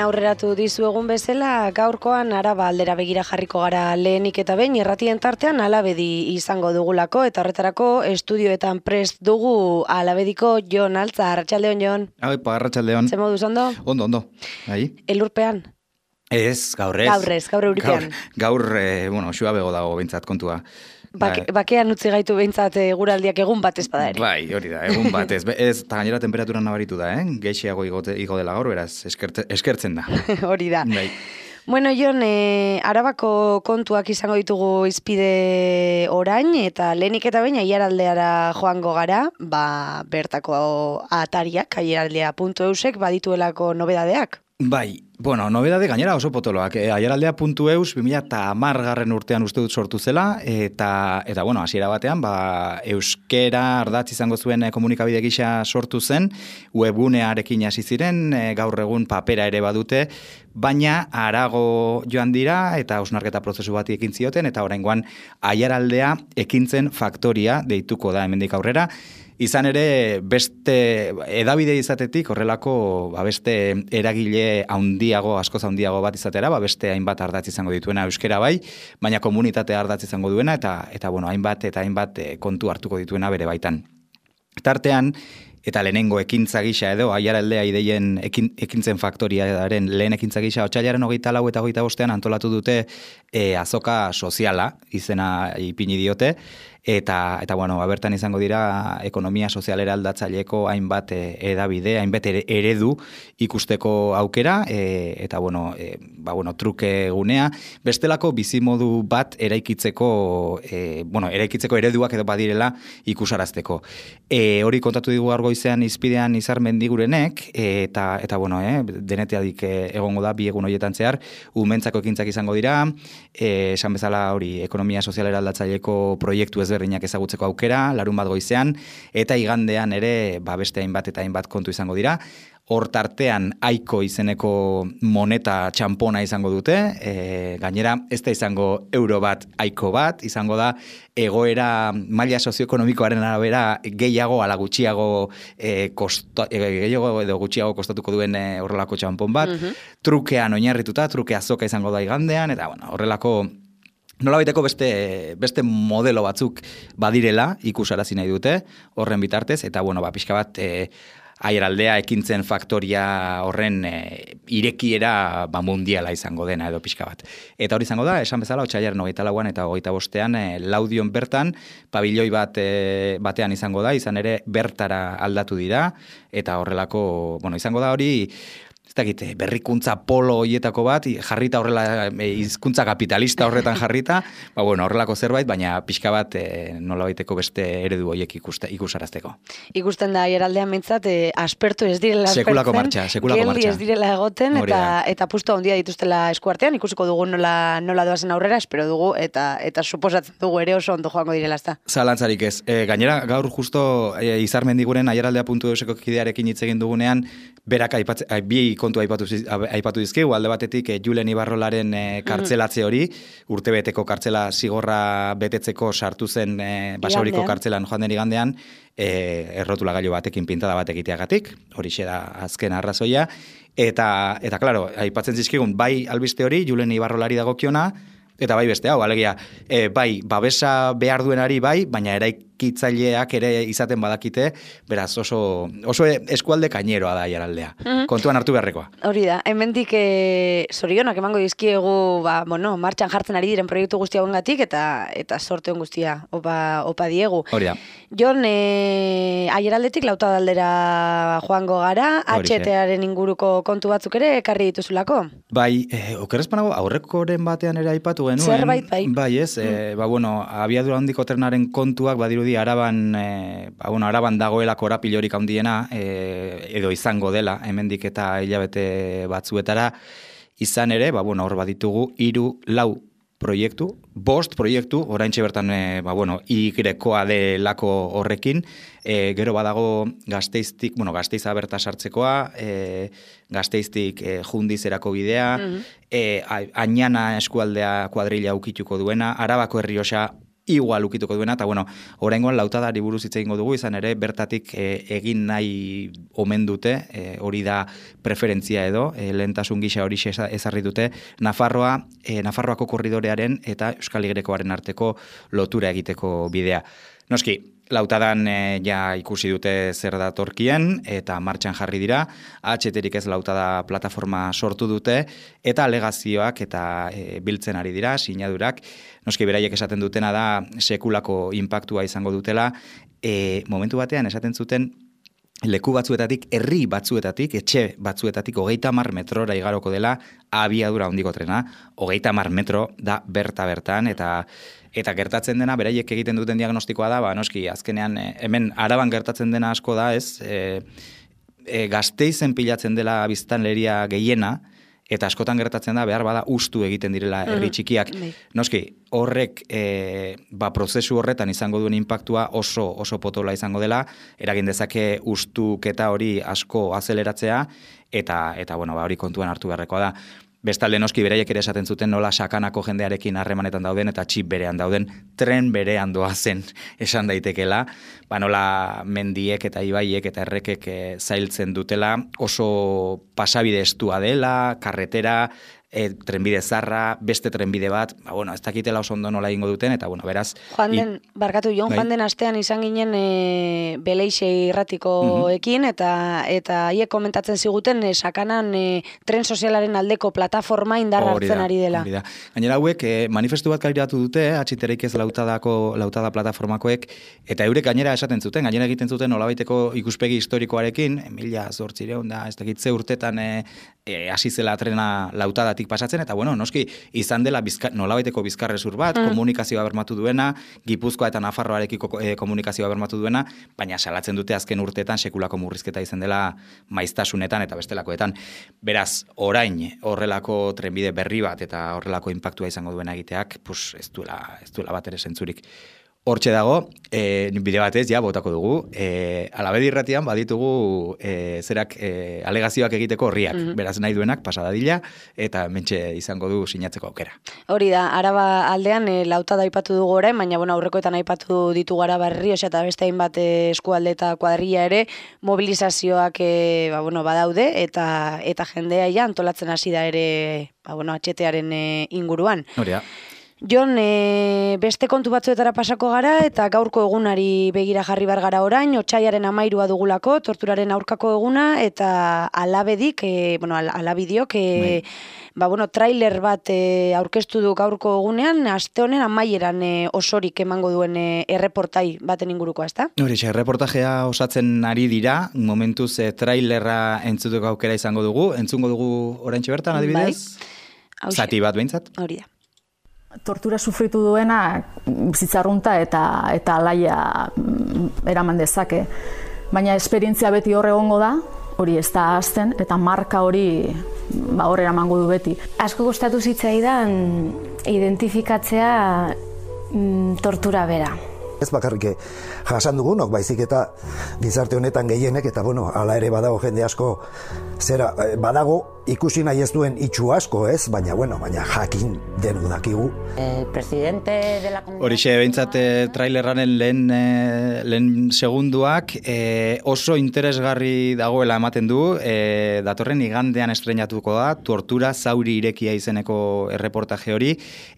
aurreratu dizuegun bezala, gaurkoan Araba aldera begira jarriko gara lehenik eta behin irratien tartean Alabedi izango dugulako, eta horretarako estudioetan prest dugu Alabediko Jon Altza. Arratsaldeon, Jon. Arratsaldeon. Ze moduz ondo? Ondo. Elurpean? Ez, gaur euripean. Gaur, xua bego dago behintzat kontua. Bakean utzi gaitu behintzat eguraldiak egun bat ez bada ere. Bai, hori da, egun bat ez. Ez, eta gainera temperaturan nabaritu da, Geixiago igo dela gaur, beraz, eskertzen da. Hori da. Bai. Bueno, Jon, Arabako kontuak izango ditugu izpide orain, eta lehenik eta baina aiaraldeara joango gara, bertako atariak, aiaraldea.eusek badituelako nobedadeak. Bai, nobedade gainera oso potoloak. Aiaraldea.eus 2010 urtean uste dut sortu zela, eta hasiera batean, euskera ardatz izango zuen komunikabide gisa sortu zen, webgunearekin hasi ziren, gaur egun papera ere badute, baina harago joan dira, eta hausnarketa prozesu bati ekin zioten, eta oraingoan Aiaraldea ekintzen faktoria deituko da hemendik aurrera. Izan ere, beste edabide izatetik, horrelako beste eragile askoz handiago bat izatera, beste hainbat ardatz izango dituena euskera bai, baina komunitate ardatz izango duena, eta hainbat kontu hartuko dituena bere baitan. Tartean, eta lehenengo ekintza gisa edo, Aiaraldea ideien ekintzen faktoriaren lehen ekintza gisa, otsailaren 24 eta 25 antolatu dute azoka soziala, izena ipini diote, eta bertan izango dira ekonomia sozialera aldatzaileko hainbat edabide, hainbat eredu ikusteko aukera, eta truke gunea, bestelako bizimodu bat eraikitzeko ereduak edo badirela ikusarazteko. Hori kontatu digu argoizean izpidean Izar Mendigurenek, eta deneteadik egongo da, bi egun horietan zehar, umentzako ekintzak izango dira, esan bezala hori ekonomia sozialera aldatzaileko proiektu ezberdinak ezagutzeko aukera, larun bat goizean, eta igandean ere beste hainbat eta hainbat kontu izango dira. Hor tartean Aiko izeneko moneta txampona izango dute, gainera ez da izango euro bat, Aiko bat, izango da egoera maila sozioekonomikoaren arabera gehiago ala gutxiago gutxiago kostatuko duen horrelako txampon bat, trukean oinarrituta, truke azoka izango da igandean, eta horrelako nolabaiteko beste modelo batzuk badirela ikusarazi nahi dute horren bitartez, eta pixka bat Aiaraldea ekintzen faktoria horren irekiera mundiala izango dena edo pixka bat. Eta hori izango da, esan bezala, otsailaren 24an eta 25ean Laudion bertan, pabilloi batean izango da, izan ere bertara aldatu dira, eta horrelako, izango da hori, berrikuntza polo hoietako bat, jarrita horrela, hizkuntza kapitalista horretan jarrita, horrelako zerbait, baina pixka bat nolabaiteko beste eredu hoiek ikusarazteko. Ikusten da Aiaraldean mintzat, aspertu ez direla sekulako martxa. Geldi ez direla egoten, eta pustu handia dituztela eskuartean, ikusiko dugu nola doazen aurrera, espero dugu, eta suposatzen dugu ere oso ondo joango direla ezta. Zalantzarik ez. Gainera, gaur justo Izar Mendiguren Aiaraldea.euseko kidearekin hitz egin dugunean, berak bi kontu aipatu dizkigu, alde batetik Julen Ibarrolaren kartzelatze hori, urtebeteko kartzela zigorra betetzeko sartu zen Basauriko kartzelan joan den igandean, errotula gailu batekin pintada bat egiteagatik, horixe da azken arrazoia, eta claro, aipatzen zizkigun, bai albiste hori, Julen Ibarrolari dagokiona, eta bai beste hau, alegia, bai, babesa behar duenari bai, baina eraikitzaileak ere izaten badakite, beraz oso eskualde kaineroa da Aiaraldea. Kontuan hartu beharrekoa. Hori da, hemendik zorionak emango dizkiegu, martxan jartzen ari diren proiektu guztia hongatik, eta sorteon guztia opa diegu. Hori da. Jon, Aiaraldetik Lautadaldera joango gara, HT-aren inguruko kontu batzuk ere ekarri dituzulako? Bai, okerrezpanago, aurrekoren batean ere aipatu genuen. Zerbait, bai. Bai, ez, abiadura handiko trenaren kontuak badirudi Araban dagoela korapilorik handiena, edo izango dela, hemendik eta hilabete batzuetara, izan ere, hor baditugu 3-4 proiektu, 5 proiektu, oraintxe bertan, igrekoa delako horrekin, gero badago Gasteiza berta sartzekoa, Gasteiztik Jundizerako bidea, Añana eskualdea kuadrilla ukituko duena, Arabako Errioxa igual ukituko duena, eta bueno, oraingoan lautadari buruz hitz egingo dugu, izan ere, bertatik egin nahi omen dute, hori da preferentzia edo, lehentasun gisa hori ezarri dute, Nafarroako korridorearen eta Euskal Y-koaren arteko lotura egiteko bidea. Noski, lautadan ja ikusi dute zer datorkien eta martxan jarri dira, HT-rik ez lautada plataforma sortu dute eta alegazioak eta biltzen ari dira, sinadurak. Noski beraiek esaten dutena da sekulako inpaktua izango dutela, momentu batean esaten zuten leku batzuetatik, herri batzuetatik, etxe batzuetatik 30 metrora igaroko dela abiadura handiko trena, 30 metro da bertan eta gertatzen dena, beraiek egiten duten diagnostikoa da, noski, azkenean, hemen Araban gertatzen dena asko da, ez, Gasteizen pilatzen dela biztanleria gehiena, eta askotan gertatzen da, behar bada ustu egiten direla herri txikiak. Noski, horrek, prozesu horretan izango duen inpaktua oso potola izango dela, eragin dezake ustuketa hori asko azeleratzea, eta bueno, hori kontuan hartu beharrekoa da. Bestalde noski beraiek ere esaten zuten nola sakanako jendearekin harremanetan dauden eta txip berean dauden, tren berean doazen esan daitekela, nola mendiek eta ibaiek eta errekek zailtzen dutela, oso pasabide estua dela, karretera, trenbide zarra, beste trenbide bat, ez dakitela oso ondo nola ingo duten, eta beraz... Joan den astean izan ginen Beleixe irratikoekin, eta haiek komentatzen ziguten sakanan tren sozialaren aldeko plataforma indarra hartzen ari dela. Gainera hauek manifestu bat kaleratu dute, HT-rik ez lautada plataformakoek, eta eurek gainera esaten zuten, gainera egiten zuten nolabaiteko ikuspegi historikoarekin, 1800 da, ez dakitze urtetan hasi zela trena lautadatik pasatzen, eta noski izan dela nolabaiteko bizkarrezur bat, komunikazioa bermatu duena, Gipuzkoa eta Nafarroarekiko komunikazioa bermatu duena, baina salatzen dute azken urteetan sekulako murrizketa izan dela maiztasunetan eta bestelakoetan. Beraz, orain horrelako trenbide berri bat eta horrelako inpaktua izango duena egiteak, ez duela bat ere zentzurik. Hortxe dago, bide batez, botako dugu, Alabedi irratian baditugu alegazioak egiteko horriak, beraz nahi duenak pasadadila, eta mentxe izango du sinatzeko aukera. Hori da, Araba aldean lautada aipatu dugu orain, baina aurrekoetan aipatu ditugu Araba Errioxa eta beste hainbat eskualde eta kuadrilla ere, mobilizazioak badaude, eta jendea antolatzen hasi da ere HT-aren inguruan. Hori da. Jon, beste kontu batzuetara pasako gara eta gaurko egunari begira jarri bar gara orain, otsailaren 13 dugulako, torturaren aurkako eguna, eta Alabedik, Alabidiok, trailer bat aurkeztu du gaurko egunean, aste honen amaieran osorik emango duen erreportai baten ingurukoa, ezta? Hori, erreportajea osatzen ari dira, momentuz trailerra entzuteko aukera izango dugu, entzungo dugu oraintxe bertan, adibidez? Zati bat behintzat? Hori da. Tortura sufritu duena bizitzarrunta eta alaia eraman dezake. Baina esperientzia beti hor egongo da, hori ez da azten, eta marka hori hor eramango du beti. Asko gustatu zitzaidan identifikatzea tortura bera. Ez bakarrik jasan dugunok, baizik eta gizarte honetan gehienek, eta hala ere badago jende asko, badago ikusi nahi ez duen itxu asko, ez? Baina jakin denu dakigu. Horixe, behintzat trailerraren lehen segunduak oso interesgarri dagoela ematen du, datorren igandean estrenatuko da, tortura zauri irekia izeneko erreportaje hori,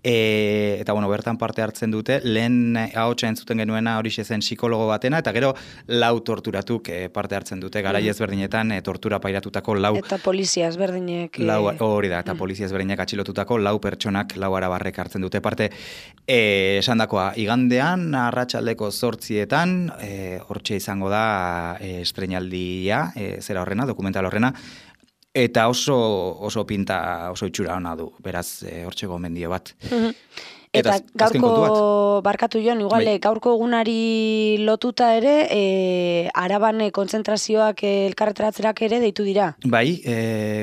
eta bertan parte hartzen dute, lehen ahotsa entzuten genuena horixe zen psikologo batena, eta gero lau torturatuk parte hartzen dute, garai ezberdinetan tortura pairatutako lau... Eta polizia ezberdinek... Hori da, eta polizia ezberdinek atxilotutako lau pertsonak, lau arabarrek hartzen dute parte. Esandakoa, igandean, arratsaldeko 8:00, hortxe izango da estreinaldia, dokumental horrena, eta oso pinta, oso itxura ona du, beraz, hortxe gomendio bat. Eta gaurko, barkatu Jon, igual, gaurko egunari lotuta ere, Araban kontzentrazioak elkarretaratzerak ere deitu dira. Bai,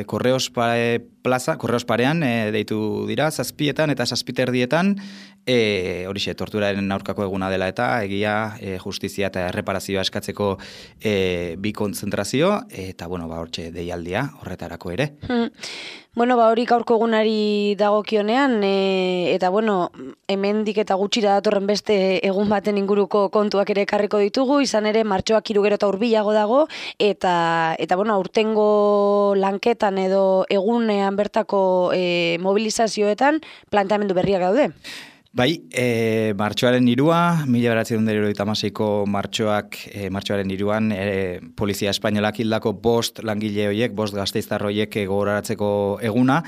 Korreos Parean deitu dira, 7:00 eta 7:30, horixe, torturaren aurkako eguna dela eta egia, justizia eta erreparazioa eskatzeko bi kontzentrazio, eta hortxe deialdia horretarako ere. Hori gaurko egunari dagokionean, eta hemendik eta gutxira datorren beste egun baten inguruko kontuak ere ekarriko ditugu, izan ere martxoak 3 gero eta hurbilago dago, eta aurtengo lanketan edo egunean bertako mobilizazioetan planteamendu berriak daude. Bai, martxoaren 3, 1976ko martxoaren 3, Polizia Espainolak hildako 5 langile horiek, 5 gasteiztar horiek gogoratzeko eguna.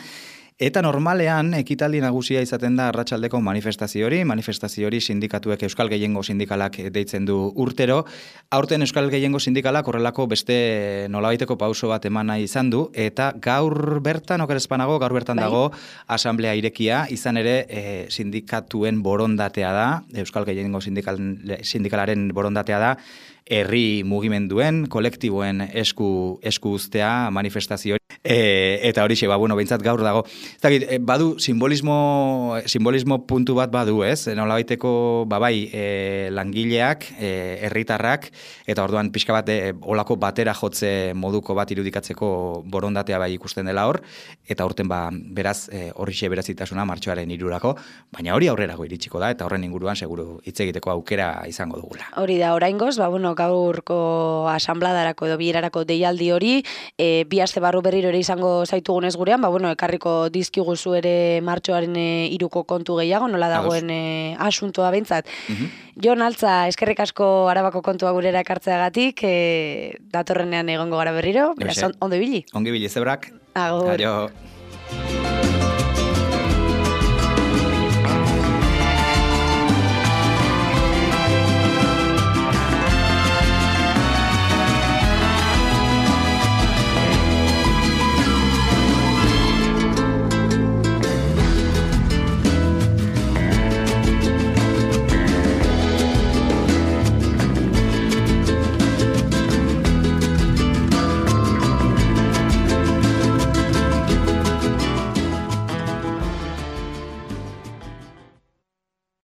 Eta normalean, ekitaldi nagusia izaten da arratsaldeko manifestazio hori sindikatuek Euskal Gehiengo sindikalak deitzen du urtero. Aurten Euskal Gehiengo sindikalak horrelako beste nolabaiteko pauso bat eman nahi izan du, eta gaur bertan dago asamblea irekia, izan ere sindikatuen borondatea da, Euskal Gehiengo sindikalaren borondatea da, herri mugimenduen, kolektiboen esku uztea manifestazio. Eta horixe, behintzat gaur dago. Badu simbolismo puntu bat badu, ez? Nolabaiteko, langileak, herritarrak, eta orduan pixka bat olako batera jotze moduko bat irudikatzeko borondatea ikusten dela hor, eta aurten beraz horixe berazitasuna martxoaren 3rako, baina hori aurrerago iritsiko da, eta horren inguruan seguru hitz egiteko aukera izango dugula. Hori da, oraingoz, gaurko asambladarako edo bilerarako deialdi hori, bi aste barru berriro ere izango zaitugunez gurean, ekarriko dizkiguzu ere martxoaren 3ko kontu gehiago, nola dagoen asuntoa behintzat. Jon Altza, eskerrik asko Arabako kontua gurera ekartzeagatik, datorrenean egongo gara berriro, beraz, ondo ibili. Ongi ibili, zebrak. Agur. Aio.